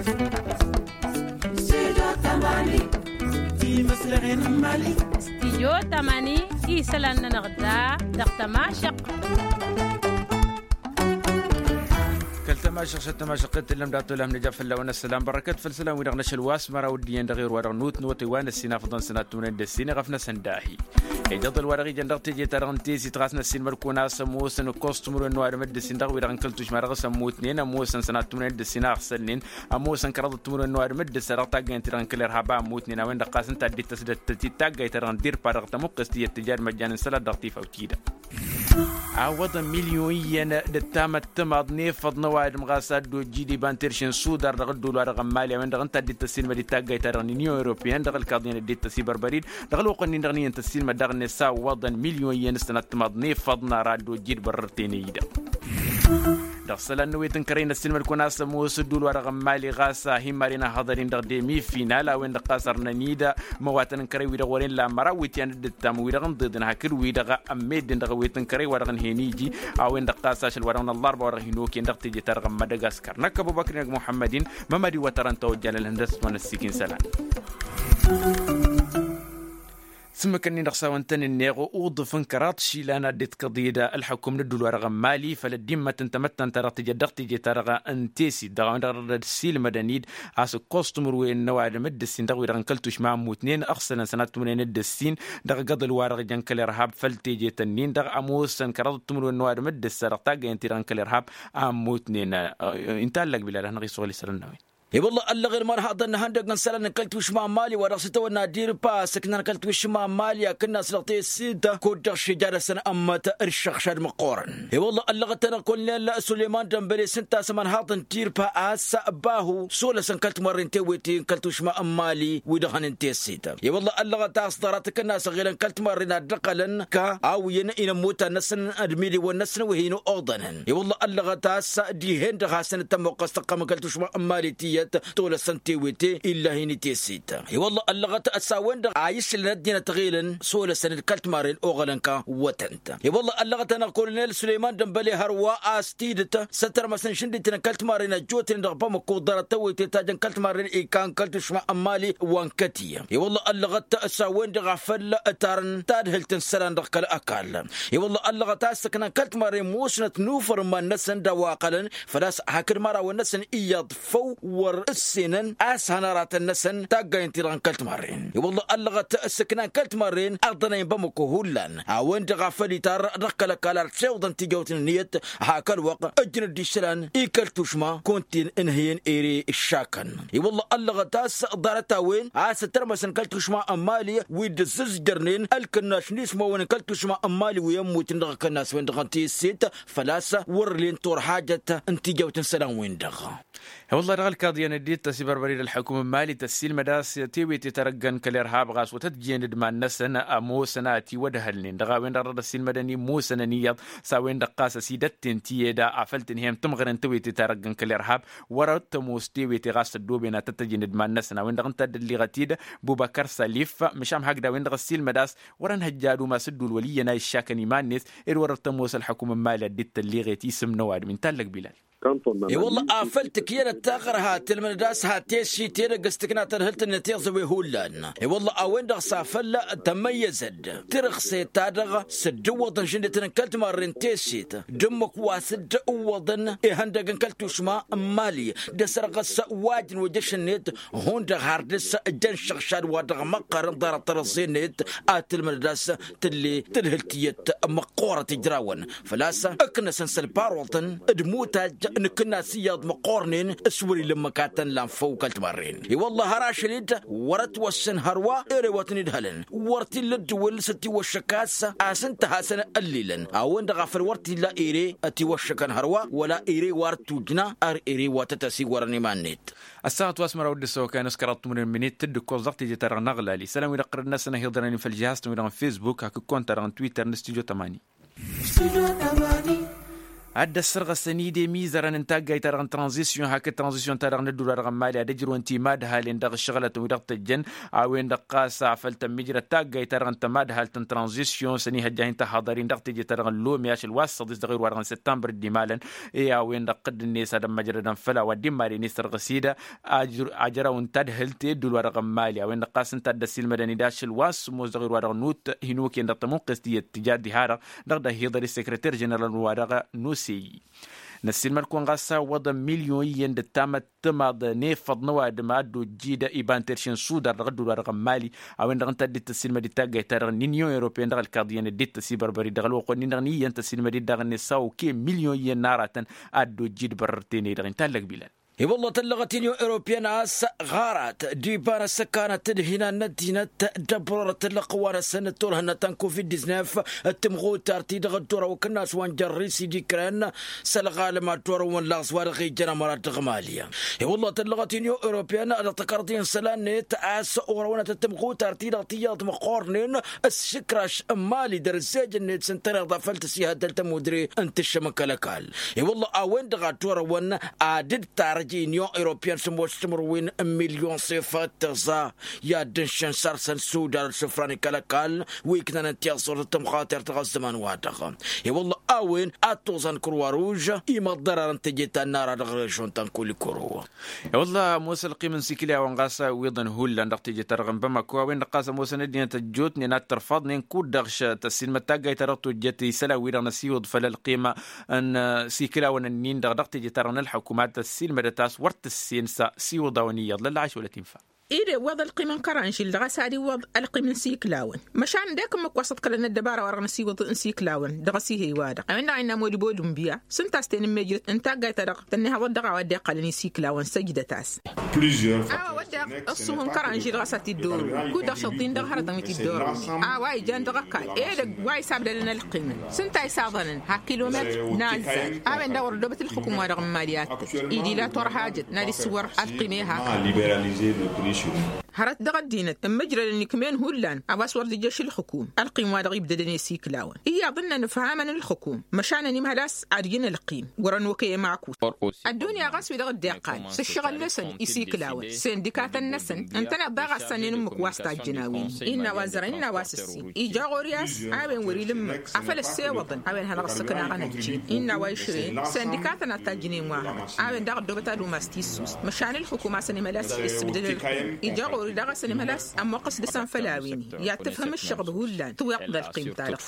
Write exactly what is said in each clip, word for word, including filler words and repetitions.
Studio tămani, isălan-nănăɣ da dăɣ-tămašăqt. Kăl-tămašăqt s-ăttămašăqt tǝllăm dat-olăm nǝja fălla-wen ăssălam bărăkăt făll-isălan-wi-dăɣ n-ašăl wa s-măraw d-iyyăn dăɣ-erwa dăɣ-nutnăwătăy wa n-ăssin afăḍăn sănat tumǝnen d-ăssin iɣăf-năsăn dahi. Ijăḍăl wa dăɣ-ijăn dăɣ-teje-ta-dăɣ n-tesit ɣas n-ăssin măr-kăwăn a-s ămoosăn ǝkkoẓ timǝrwen n-ăwadǝm d-ăssin dăɣ-wi-dăɣ n-kăl-tušma dăɣ-s ămmutnen ămoosăn sănat tumǝnen d-ăssin a ăɣsălnen ămoosăn kăraḍăt timǝrwen n-ăwadǝm d-ăssa dăɣ-taggăyăn-ti-dăɣ n-kăl-irhab a ămmutnen a-wen-dăɣ ɣas ǝnta a dd-ittăs d-ăttăt d-taggayt-ta-dăɣ n-dirpa dăɣ-tămuqqes tiyyăt tǝjad măjjan n-isălan dăɣ-tifawt-i-dăɣ. Awwăḍăn milyon iyyăn d-ăttamăttămaḍ n-efăḍ n-ăwadǝm ɣas a dd-ojjid iba n-terše n-sudar dăɣ-ăddol wa dăɣ-ămmali a-wen-dăɣ ǝnta a dd-ittăssinmăd d-taggayt-ta-dăɣ n-inyon europeyăn dăɣ-ălkaḍiyăn a dd-ittăs iberbăr-dd dăɣ-ălwăqq-nin-dăɣ n-iyyăn tăssinmăd daɣ-net s-a ǝwwăḍăn milyon iyyăn s-tănattămaḍ n-efăḍ n-ara a dd-ojjid bărrăr tenăy-i-dăɣ. Dăɣ-isălan n-awet n-kărăy n-ăssinmăd-kăwăn a-s ămoos ăddul wa dăɣ-ămmali ɣas a hin-maren ăhhăḍăr-in dăɣ-demi final a-wen-dăɣ ɣas ărnăn-dd imăwatăn n-kărăy-wi-dăɣ wăren la măraw iwǝtyan dd-ǝttam wi-dăɣ ǝnḍeḍăn hakd-wi-dăɣ ămmeddǝn dăɣ-awet n-kărăy wa dăɣ-nǝhen iji a-wen-dăɣ ɣas ašăl wa dăɣ-năllarba wa dăɣ-hin-okăyăn dăɣ-teje-ta-dăɣ n-mădăgaskăr năkk ăbubăkr-in ăgg muḥămmăd-in. Mămăd-iwwăt arăn ta ojjalăn ihăndăs-t wa n-ăssiik-in isălan. S-ǝmmǝk-ǝnnin-dăɣ s-a-wăn tăn-ǝnneɣ uḍǝf n-kăraḍ išilan a dd-itkăḍ-dd ălḥukum n-ăddul wa dăɣ-ămmali făll-ăddimmăt n-tamăttant ta dăɣ-tǝjăt dăɣ-teje-ta-dăɣ n-tesit dăɣ-a-wen-dăɣ dd-ăssiilmădăn-dd a-s ǝkkoẓ timǝrwen n-ăwadǝm d-ǝssin dăɣ-wi-dăɣ n-kăl-tušma ămmutnen ăɣsălăn sănat timǝrwen d-ǝssin dăɣ-igăḍăl wa dăɣ-jăn kăl-irhab făll-tejet-ǝnnin-dăɣ ămoosăn kăraḍăt timǝrwen n-ăwadǝm d-ǝssa dăɣ-taggăyăn-ti-dăɣ n-kăl-irhab a ămmutnen. Inta allăg bilal ad-hanăɣ-isɣul isălan n-a-wen. I-wălla ăllăɣen ma n-haḍăn n-ihăndăg n-isălan n-kăl-tušma n-mali wa dăɣ-s itawănna dirpa a-s ǝknan kăl-tušma n-mali akǝnnas dăɣ-tesit kud-dăɣ šija dăɣ-săn ămmăt d-išăɣšad măqqoorăn. I-wălla ăllăɣăt-anăɣ kolnel suleyman dănbăle s-ǝnta a-s ămanhaḍ n-tirpa a-s bahu s-olăsăn kăl-timărren tewete n-kăl-tušma n-mali wi-dăɣ hănen tesit. I-wălla ăllăɣăt a-s ḍarăt akǝnnas ăɣilăn kăl-timărren a dd-ăqqălăn ka a-wen-i n-ămmutan-năsăn d-imiliwăn-năsăn wi hin-oḍănăn. I-wălla ăllăɣăt a-s dihen-dăɣ hasăn-dd-tămmuqqăs tăqqăm n-kăl-tušma n-mali tiyyăt tolăsăn tewete ill'-ahin i-tesit. I-wălla ăllăɣăt s-a-wen-dăɣ a islăn ăddinăt ăɣilăn s-olăsăn d-kăl-timarren oɣălăn kăwătăn-t. I-wălla ăllăɣăt-anăɣ kolonel suleyman dănbăle hărwa a-s tidǝt s-ăttărmăsăn šǝndităn kăl-timarren ăjjootnen dăɣ-bamăko ḍarăt tawăyte ta jăn kăl-timarren ikan kăl-tušma n-mali wa n-kătiyya. I-wălla ăllăɣăt s-a-wen-dăɣ a făl ǝtarăn tadhǝlt n-isălan dăɣ-kăl-ăkall. I-wălla ăllăɣăt a-s ǝknan kăl-timarren musnăt n-ufăr n-iman-năsăn d-a-wa ăqqălăn făl-a-s hakd mărawăn-năsăn iyyăḍ făw wăr ǝssenăn a-s hăn aratăn-năsăn taggayăn-ti-dăɣ n-kăl-timarren. I-wălla ăllăɣăt s-ǝknan kăl-timarren ăḍănăyăn bamăko hullan a-wen-dăɣ a făl itarră dăɣ-kăl-ăkall ar tiwǝḍăn tijăwt n-ǝnniyăt. Hak ălwăqq ǝjjǝn-dd isălan i-kăl-tušma kuntin ǝnhǝyăn ere ǝššakăn. I-wălla ăllăɣăt a-s ḍarăt-a-wen a-s ăttărmăsăn kăl-tušma n-mali wi dd-ǝzzǝzjărnen ălkănnaš n-ismawăn n-kăl-tušma n-mali wi ămmutnen dăɣ-akănnas-wen-dăɣ n-teset făl-a-s wăr len turhajăt n-tijăwt n-isălan-wen-dăɣ. I-wălla dăɣ-ălkaḍiyăn dd-ittăs ibărbări d-ălḥukum n-mali tăssiilmăd a-s tewete ta răggăn kăl-irhab ɣas wăr tăt-jen d-iman-năsăn ămoosăn a ătiwădhălnen dăɣ-a-wen-dăɣ dăɣ-dd-ăssiilmădăn imusănăn iyyăḍ. S-a-wen-dăɣ ɣas ăsidătten ti ed a făl tǝnhăyăm tǝmɣăren tewete ta răggăn kăl-irhab wăr-ăttămoos tewete ɣas ăddooben ad-tăt-tăjen d-iman-năsăn a-wen-dăɣ ǝnta a dd-ălliɣăt-dd bubăkăr sălif. Măšan hakd a-wen-dăɣ ăssiilmăd a-s wăr-ănhăjja ad-umas dd-ul wăl' iyyăn a iššakăn iman-net ed wăr-ăttămoos ălḥukum n-mali ad-dd-tălliɣet isǝm n-ăwadǝm inta allăg bilal. I-wălla afăl tǝkyălăt taɣărha tǝlmǝdăd a-s ha tesit edăgg s-tǝkna tadhǝlt-net iẓăwe hullan. I-wălla a-wen-dăɣ s-afăl tămmăyyăzăd tirǝxset-ta-dăɣ s-dd-ǝwwăḍăn žǝndetăn n-kăl-timarre n-tesit d-ǝmmǝk wa s-dd-ǝwwăḍăn ihăndăg n-kăl-tušma n-mali d-asărɣǝs wa ǝjǝn wăjăš-net. Hundăɣ har dăr-s jăn šăɣšad wa dăɣ-măqqărăn ḍarăt tărăẓẓe-net ad-tǝlmǝdăd a-s tǝlle tadhǝlt tiyyăt măqqoorăt ijrawăn. Făl-a-s ǝknăsăn s-ălparoṭăn d-imutaj n-akǝnnas iyyăḍ măqqoornen s-wăr-ila ǝmmǝk ad-tăn-lan făw kăl-timarren. I-wălla har ašăl-dd wăr-ătwăssen hărwa ere wa tăn-idhălăn wăr t-illa ăddǝwǝl s-ătiwăššăk a-s a-s ǝnta hasăn-ăllilăn a-wen-dăɣ a făl wăr t-illa ere ătiwăššăkăn hărwa wăla ere wa ăttujna ar ere wa tăt-ăsigwărăn iman-net. Ăssaɣăt wa s-măraw d-ăssăwăkăyăn s-kăraḍ timǝrwen minit tǝddǝkkoẓ dăɣ-teje-ta-dăɣ n-aɣlal isălan-wi-dăɣ ɣărăd-năsăn a hi-iḍărăn făll-žihaz-tăn-wi-dăɣ n-fesbuk hakd konta-dăɣ n-twitter n-studyo tămani. Studyo tămani. Ad-dd-ăssărɣăsăn-dd i-mizărăn n-taggayt-ta-dăɣ n-tranzisyon hakd tranzisyon-ta-dăɣ n-ădduul-wa-dăɣ n-imali ad-ǝjrǝwăn timad-halăn dăɣ-ǝššăɣǝlătăn-wi-dăɣ tăjjăn. A-wen-dăɣ ɣas afăl tămmijrăd taggayt-ta-dăɣ n-tămad-halt n-tranzisyon s-ănihăjja hin-tăhaḍăr-in dăɣ-teje-ta-dăɣ n-lomya ašăl wa s-săḍis dăɣ-irwa-dăɣ n-săttămbăr d-imalăn. I-a-wen-dăɣ tǝddǝn-e s-ad-ămmăjrădăn făll-a-wa dd-imali n-isărɣǝs-dd ajăraw n-tadhǝlt i-ădduul-wa-dăɣ n-imali a-wen-dăɣ ɣas ǝnta a dd-ăssiilmădăn-dd ašăl wa s-sǝmmos dăɣ-irwa-dăɣ n-ut hin-okăyăn dăɣ-tămuqqest iyyăt tǝja diha-dăɣ dăɣ-dd-ăhiḍăr i-sekreter ženeral-wa-dăɣ n-osey. Năssiilmăd-kăwăn ɣas a ǝwwăḍăn milyon iyyăn d-ăttamăttămaḍ n-efăḍ n-ăwadǝm a dd-ojjid iba n-terše n-sudar dăɣ-ădduul-wa-dăɣ n-imali. A-wen-dăɣ ǝnta a dd-tăssiilmăd-dd taggayt-ta-dăɣ n-inyon europeyăn dăɣ-ălkaḍ iyyăn dd-tăsibărbăr-dd dăɣ-ălwăqq-wen-in-dăɣ n-iyyăn tăssiilmăd-dd daɣ-net s-a okăyăn milyon iyyăn n-aratăn a dd-ojjid bărăr tenăy-dăɣ inta ăllăg bilăn. I-wălla tăllăɣăt inyon europeyăn a-s ɣarat d-iba n-asăkanăt d-hinan n-ăddinăt d-ăbrorăt ǝllăɣ-t wa n-asăn d-turhǝnna ta n-covid-disnef d-timɣutar-ti-dăɣ dd-orăwăkăn a-s wa n-jărrisi d-ikren s-ălɣalăm ad-dd-orăwăn laẓ wa dăɣ-ijăn ămărat dăɣ-mali. I-wălla tăllăɣăt inyon europeyăn dăɣ-tăkarḍi n-isălan-net a-s orăwănăt d-timɣutar-ti-dăɣ tiyyăḍ măqqornen s-išǝkraš n-mali dăr-ǝzzejăn-net s-ǝntăneḍ a făl tăsihăddăl tămudre n-tǝššăm n-kăl-ăkall. I-wălla a-wen-dăɣ ad-t-orăwăn ad-dd-tarăj inyon europeyăn sămoos timǝrwen n-milyon s-efăt tăẓa i-ad-dd-ǝnšăn săr-săn sudar d-sǝfran i-kăl-ăkall wi ǝknănăn tiẓẓurt d-tămxatert dăɣ-ăzzăman-wa-dăɣ. I-wălla a-wen ad-toẓan kăr-wa ruž imăḍḍărarăn teje ta n-ara dăɣ-režon ta n-kulikuru. I-wălla ămoos ălqim n-sikǝl i-a-wăn ɣas a iwwiḍăn hullan dăɣ-teje-ta-dăɣ n-bamako a-wen-dăɣ ɣas ămoosăn ăddinăt ăjjootnen ad-tărfăḍnen kud-dăɣ tăssiilmăd taggayt-ta-dăɣ tojjăt isălan-wi-dăɣ n-ăsiwǝḍ făll-ălqim n-sikǝl-a-wăn ǝnnin-dăɣ dăɣ-teje-ta-dăɣ n-ălḥăkum ad-tăssiilmădăt a-s wăr tǝssen s-asiwǝḍ-a-wăn iyyăḍ lălla ašăl wăla t-infa. Ed iwwăḍ ălqim n-kăranžil dăɣ-s ad-iwwăḍ ălqim n-sikǝl-a-wăn măšan d-ekǝmmǝk wa s-ăḍkălăn ăddăbara-wa-dăɣ n-asiwǝḍ n-sikǝl-a-wăn dăɣ-asihey-wa-dăɣ a-wen-dăɣ a innă modibo dunbiya s-ǝnta a-s tenǝmmejrăt n-taggayt-ta-dăɣ tănnihăḍăt dăɣ-a-wa dd-iqqălăn isikǝl-a-wăn săjdăt-as. A-wa wădden ăṣṣuhu n-kăranžil ɣas a t-dd-orăwăn kud-dăɣ šăḍḍin dăɣ-hărătăn wi t-dd-orăwăn a-wa ijan dăɣ-ăkall edăgg wa isabdălăn ălqimăn s-ǝnta isaḍănăn ha kilometr n-azzaj. A-wen-dăɣ wăr ăddoobăt ǝlxǝkum-wa-dăɣ n-imali ad-tăj ila turhajăt n-ad-issǝwwăr ălqim i-hak. Hărăt dăɣ-ăddinăt ǝmmǝjrădăn ikm'-en hullan a-wa s-wăr dd-ijjăš ǝlxǝkum ălqim-wa-dăɣ ibdădăn i-sikǝl-a-wăn iyyăḍ ǝnnăn ǝfhamăn ǝlxǝkum măšan ănimhăl a-s ad-ijǝn ălqim wăr-ănokăy ămakut. Ăddunya ɣas wi-dăɣ dd-iqqal s-ǝššăɣǝl-năsăn isikǝl-a-wăn sindikatăn-năsăn ǝntăneḍ daɣ a ǝssănnen ǝmmǝk wa s-tajjăn a-wen innă wa ăzzărăn innă wa s-ǝssin ija ɣur-i a-s a-wen wăr-ila ǝmmǝk afăl ăssewăḍăn a-wen hanăɣ-ăssăknaɣăn ăjjeen innă wa išrăyăn sindikatăn ad-tajjǝnen wa hărăt. A-wen daɣ ăddoobăt ad-umas tissust măšan ǝlxǝkum a-s ănimhăl a-s issǝbdăd ǝlxǝkum ija ɣur-i daɣ a-s ănimhăl a-s ămmoqqăs dăɣ-săn făll-a-wen i-ad-tǝfhǝm ǝššăɣb hullan tǝwweḍ ălqim-ta-dăɣ.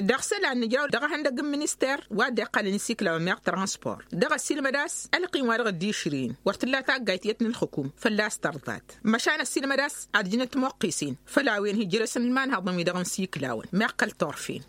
Dăɣ-isălan nǝjraw dăɣ-ehăndăgg n-minister wa dd-iqqălăn isikǝl-a-wen meɣ transport dăɣ-ăssiilmăd a-s ălqim-wa-dăɣ dd-išrǝyăn wăr t-tǝlla taggayt iyyăt n-ǝlxǝkum fălla-s tărḍat. Măšan ăssiilmăd a-s ad-ǝjnăt timoqqisen făll-a-wen hi-ǝjrăsăn imanhăḍăn-wi-dăɣ n-isikǝl-a-wen meɣ kăl-turfen.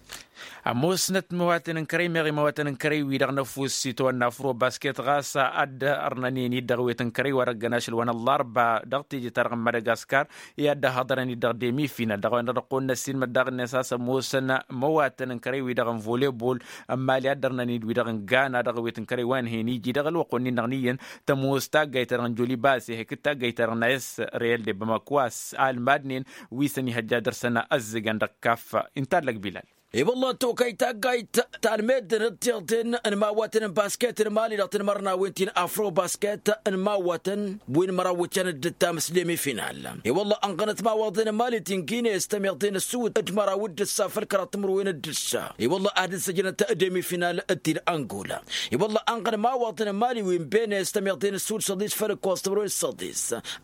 Ămoosnăt imăwatăn n-kărăy meɣ imăwatăn n-kărăy-wi-dăɣ n-ăfuss itawănna afro-basket ɣas a dd-ărnănen-dd dăɣ-ewet n-kărăy wa dăgg-ănaš ălwăn ăllarba dăɣ-teje-ta-dăɣ n-madagaskar i-ad-dd-ăhhăḍărăn-dd dăɣ-demi-final dăɣ-a-wen-dăɣ dăɣ-kăwăn-năssiilmăd daɣ-net a-s ămoosăn imăwatăn n-kărăy-wi-dăɣ n-volebol n-imali a dd-ărnănen-dd wi-dăɣ n-gana dăɣ-ewet n-kărăy wa n-hen iji dăɣ-ălwăqq-wen-in-dăɣ n-iyyăn tămoos taggayt-ta-dăɣ n-joliba a-s ihăyk d-taggayt-ta-dăɣ n-a s real de bamako a-s almadnen wi s-ănihăjja dăr-săn ăzzăgăn dăɣ-kaf. Inta allăg bilal. I-wălla tokăy taggayt ta n-meddǝn d-tiḍen n-imawatăn n-basket n-imali dăɣ-tinmărnawen ti n-afro-basket n-imawatăn wi n-măraw wǝccăn dd-ǝttam s-demi-final. I-wălla ănɣănăt imawăḍen n-imali ti n-gine s-tămiḍen ăssuwǝt d-măraw d-ǝssa făll-kăraḍ timǝrwen d-ǝssa i-wălla ad-ǝzzăjnăt demi-final d-ti d-angola. I-wălla ănɣăn imawăḍen n-imali wi n-bene s-tămiḍen ăssuwǝt săḍis făll-ǝkkoẓ timǝrwen d-săḍis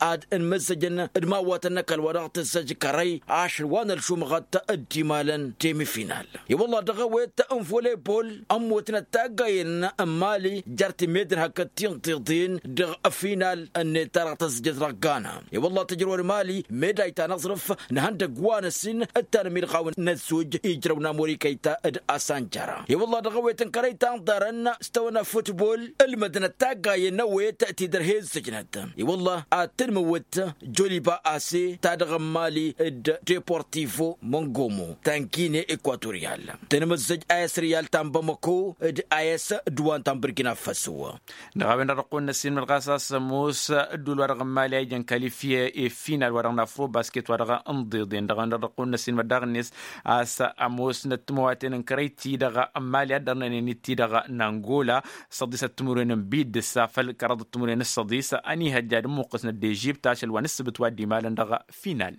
ad-ǝnmǝzzăjăn d-imawătăn n-ăkall wa dăɣ-tǝzzăj kărăy ašăl wa n-ălšumɣăt d-imalăn demi-final. I-wălla dăɣ-ewet n-volebol ămmutnăt taggayen n-imali jer-timeddǝn hakd tintiḍen dăɣ-final-net ta dăɣ-tăzzăjăt dăɣ-gana. I-wălla tǝjrăwăn imali meday ta n-aẓrǝf n-ihăndăgg wa n-ăssin d-tanmilɣawen n-ăzzuj ijrăw n-amurikăy ta d-asanjăra. I-wălla dăɣ-ewet n-kărăy ta n-iḍarăn s-tawănna futbol ǝlmădnăt taggayen n-ewet ti dăr-he-ǝzzǝjnăt. I-wălla ad-tǝnmǝwǝt joliba ase ta dăɣ-imali d-deportivo măngomo ta n-gine. ekvatoriyal. Tăn-măzzăj a s-riyal ta n-bamako d-a s-dwan ta n-bărgina faso. Dăɣ-a-wen-dăɣ dăɣ-kăwăn-năssinmăd ɣas a-s ămoos ădduul-wa-dăɣ n-imali a ijăn kalifye i-final-wa-dăɣ n-afro-basket-wa-dăɣ n-iḍeḍen dăɣ-a-wen-dăɣ dăɣ-kăwăn-năssinmăd daɣ-net. A-s ămoosnăt timăwaten n-kărăy-ti-dăɣ n-imali ad-dărnănen-dd-ti-dăɣ n-angola s-ăḍḍisăt timǝrwen n-bidǝs afăl kăraḍăt timǝrwen s-ăḍḍis. Ănihăjja ad-ǝmmuqqǝsnăt d-ežibt ašăl wa n-ǝssǝbǝt wa dd-imalăn dăɣ-final.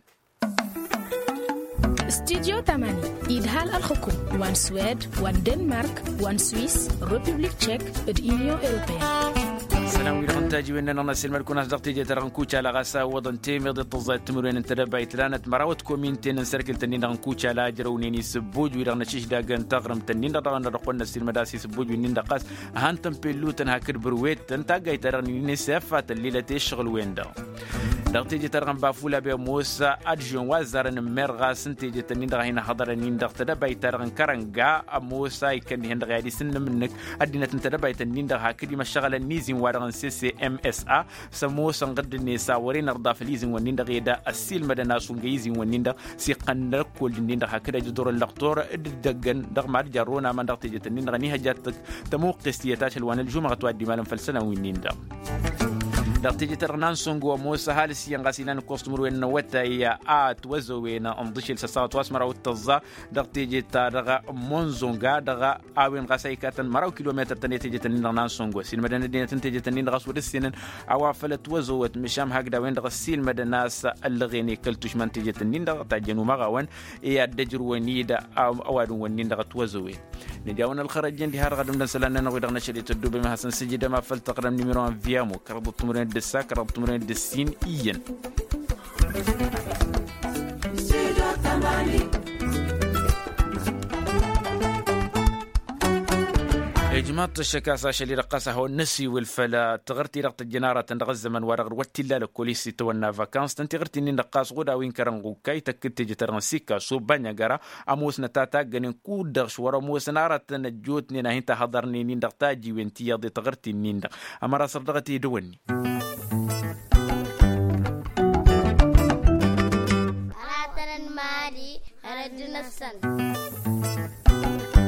Studyo tamani idhal ălxǝkum wa n-swed wa n-denmark wa n-swis, republik tšek, d-inyon europeyăn. Sălam-wi-dăɣ n-tajiwen-nănăɣ n-asǝlmăd-kăwăn a-s dăɣ-teje-ta-dăɣ n-kucala ɣas a ǝwwăḍăn temeḍe tăẓẓayăt timǝrwen n-tedăbayt lanăt mărawăt kominten n-sărkǝl-tăn-in-dăɣ n-kucala ǝjrăwnen isǝbbuj-wi-dăɣ n-ašǝždag n-taɣrǝmt-tăn-in-dăɣ dăɣ-a-wen-dăɣ dăɣ-kăwăn-năssilmăd a-s isǝbbuj-wi-nin-dăɣ ɣas. Ăhan tămpellutăn hakd bărwet n-taggayt-ta-dăɣ n-inisef a tăllilăt i-ǝššăɣǝl-wen-dăɣ. Dăɣ-teje-ta-dăɣ n-bafula bemos ad-žen wa ăzzarăn n-mer ɣas n-teje-tăn-in-dăɣ a hin-ăhhăḍărăn-in-dăɣ tedăbayt-ta-dăɣ n-kărănga ămoos a ikkăn dihen-dăɣ i-ad-isǝnnǝm-nǝk ăddinăt n-tedăbayt-ǝnnin-dăɣ hakd imăššăɣălăn n-izin-wa-dăɣ n-ccms a s-ămoosăn ɣǝdd-net a wăren ărḍa făll-izin-wǝnnin-dăɣ ed ăssiilmădăn a-s wǝnga izin-wǝnnin-dăɣ s-iqqăn n-ăkkoll-ǝnnin-dăɣ hakd ăjăḍur ăllăqtor d-ǝddăggăn dăɣ-mad jarrăwăn aman dăɣ-tejet-ǝnnin-dăɣ ănihăjjat-tăk tămuqqest iyyăt ašăl wa n-ălžumăɣăt wa dd-imalăn făll-isălan wi-nin-dăɣ. Dăɣ-tejet-ta-dăɣ n-ansăngo ămoos ăhalǝs iyyăn ɣas ilan ǝkkoẓ timǝrwen n-awătay a ătwăzăwen ǝnḍǝšel s-ăssaɣăt wa s-măraw d-tăẓẓa dăɣ-tejet-ta-dăɣ n-monzonga dăɣ-a-wen ɣas a ikatăn măraw kilometăr-tăn i-tejet-ǝnnin-dăɣ n-ansăngo ăssiilmădăn ăddinăt n-tejet-ǝnnin-dăɣ a-s wăr-ǝssenăn a-wa făl ătwăzăwăt măšan hakd a-wen-dăɣ ăssiilmădăn a-s ăllăɣen i-kăl-tušma n-tejet-ǝnnin-dăɣ tajjăn umăɣawăn i-ad-dd-ăjrǝwăn-dd ăwadǝm-wǝnnin-dăɣ ătwăzăwen. Nǝja a-wen ălxărăjjăn diha-dăɣ ad-ǝmdăn isălan-nănăɣ wi-dăɣ năšăl i-tăddubem ad-hasăn-sǝjǝdăm afăl tăɣrăm nimiro n-viamo kăraḍăt timǝrwen d-ǝssa kăraḍăt timǝrwen d-ǝssin iyyăn. Ijmaḍ-t ăššăk a-s ašăl-i-dăɣ ɣas ad-hawăn-năsiwǝl făll-taɣărt-i-dăɣ tăjjăn aratăn dăɣ-ăzzăman-wa-dăɣ d-wăr t-illa lăkkol-i s-itawănna vakans tăn-tiɣǝrt-in-dăɣ ɣas ɣud a-wi n-kărănɣukkay tăkk-dd teje-ta-dăɣ n-sikkaso bănyăgăra ămoosnăt a taggănen kud-dăɣ s-wăr-ămoosăn aratăn ăjjootnen a hin-tahăḍărnen-in-dăɣ tajiwen ti iyyăḍ i-taɣǝrt-in-dăɣ. Ămăra săr dăɣ-t-e-dăwănni. Aratăn n-imali hărăt-năsăn.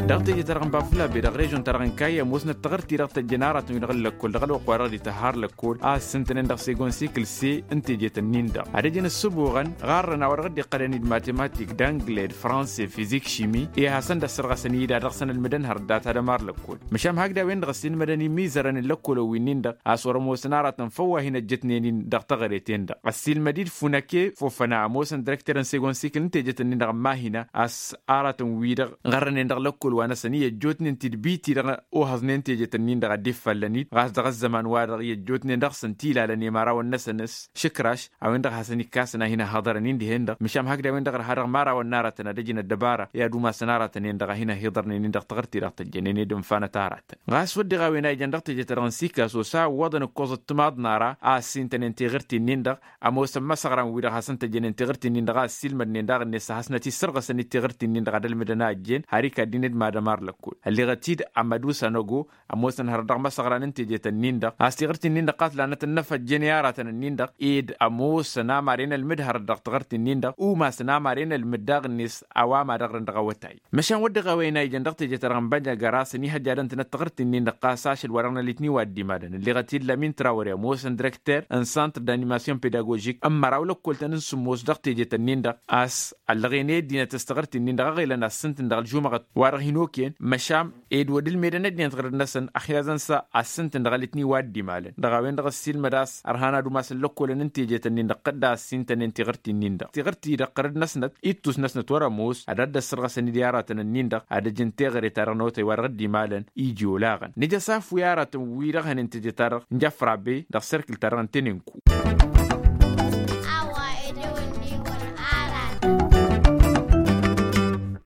Dăɣ-teje-ta-dăɣ n-bafulabe dăɣ-režon-ta-dăɣ n-kayya ămoosnăt taɣǝrt-i-dăɣ tăjjăn aratăn-wi-dăɣ n-lăkkol dăɣ-ălwăqq-wa-dăɣ dd-ităhhar lăkkol a ǝssǝntănen dăɣ-segon sikǝl se n-teje-tăn-in-dăɣ ad-ăjǝn ǝssǝbuɣăn ɣarrăn a-wa dăɣ-dd-iqqălăn d-matematik d-angled franse fizik šimi i-ad-hasăn-dd-ăssărɣăsăn-dd ad-dăɣ-săn ălmǝdăn hărăt data d-ămar lăkkol. Măšan hakd a-wen-dăɣ ăssiilmădăn imizărăn n-lăkkolăn wi-nin-dăɣ a-s wăr-ămoosăn aratăn făw wa hin-ăjjătnen-in dăɣ-taɣăret-en-dăɣ ăssiilmăd-dd funăke fofăna ămoosăn dirăkter n-segon sikǝl n-tejet-nin-dăɣ n-mahina a-s aratăn-wi-dăɣ ɣărrănen dăɣ-lăkkol wa-năsăn i-ăjjootnen tidbit-i-dăɣ ohăẓnen tejet-nin-dăɣ a dd-iffallăn-dd ɣas dăɣ-ăzzăman-wa-dăɣ i-ăjjootnen dăɣ-săn t-ilalăn i-imărawăn-năsăn s-išǝkraš a-wen-dăɣ hasăn-ikkasăn a hin-ăhhăḍărăn-in dihen-dăɣ măšan hakd a-wen-dăɣ ărha dăɣ-imărawăn n-aratăn ad-ăjǝn ăddăbara i-ad-umasăn aratăn-en-dăɣ a hin-ăhhiḍărnen-in dăɣ-taɣǝrt-i-dăɣ tăjjănen ed ǝnfanăt aratăn. Ɣas wădden a-wen a ijăn dăɣ-teje-ta-dăɣ n-sikaso s-a ǝwwăḍăn ǝkkoẓăt timaḍ n-ara a ăssintănen tiɣǝrt-in-dăɣ ămoosăn imăsăɣran-wi-dăɣ hasăn-tăjjănen tiɣǝrt-in-dăɣ a ăssiilmădnen daɣ-net a hasnăt-issărɣăsăn-dd tiɣǝrt-in-dăɣ ad-ălmǝdăn a ăjjeen har ikaddin d-mad-ămar lăkkol ălleɣăt-dd amădu sanăgo ămoosăn hărăt dăɣ-imăsăɣran n-tejet-ǝnnin-dăɣ a-s tiɣǝrt-in-dăɣ ɣas lanăt ănnăfăjjăn i-aratăn-ǝnnin-dăɣ ed ămoosăn amaren ălmǝd hărăt dăɣ-tiɣǝrt-in-dăɣ umasăn amaren ălmǝd daɣ-net a-wa mad-ăɣrǝn dăɣ-awătay. Măšan wădden a-wen a ijăn dăɣ-teje-ta-dăɣ n-bănjăgăra s-ănihăjjadăn-tănăt tiɣǝrt-in-dăɣ ɣas ašăl wa dăɣ-nălitni wa dd-imalăn ǝlleɣăt-dd lămin trawăre ămoosăn dirăkter n-santr d-animasyon pedagožik n-măraw lăkkol-tăn n-sǝmmos dăɣ-teje-tăn-in-dăɣ a-s ăllăɣen i-ăddinăt s-tiɣǝrt-in-dăɣ a ɣelăn ad-sǝntǝn dăɣ-ălžumăɣăt wa dăɣ-hin-okăyăn măšan ed wăr dd-ǝlmedăn ăddinăt ɣărăt-năsăn ăxyaẓăn s-ad-sǝntǝn dăɣ-alǝtni wa dd-imalăn dăɣ-a-wen-dăɣ ăssiilmăd a-s ărhan ad-umasăn lăkkolăn n-teje-tăn-in-dăɣ tădda ăssintănen tiɣǝrt-in-dăɣ tiɣǝrt-i-dăɣ ɣărăt-năsnăt ittus-năsnăt wăr-ămoos ad-ăddăssărɣăsăn-dd i-aratăn-ǝnnin-dăɣ ad-ăjǝn teɣăre-ta-dăɣ n-awătay wa dăɣ-dd-imalăn iji olaɣăn nǝja s-afwi aratăn wi-dăɣ hănen teje-ta-dăɣ n-jafrabe dăɣ-serkǝl-ta-dăɣ n-tenenku.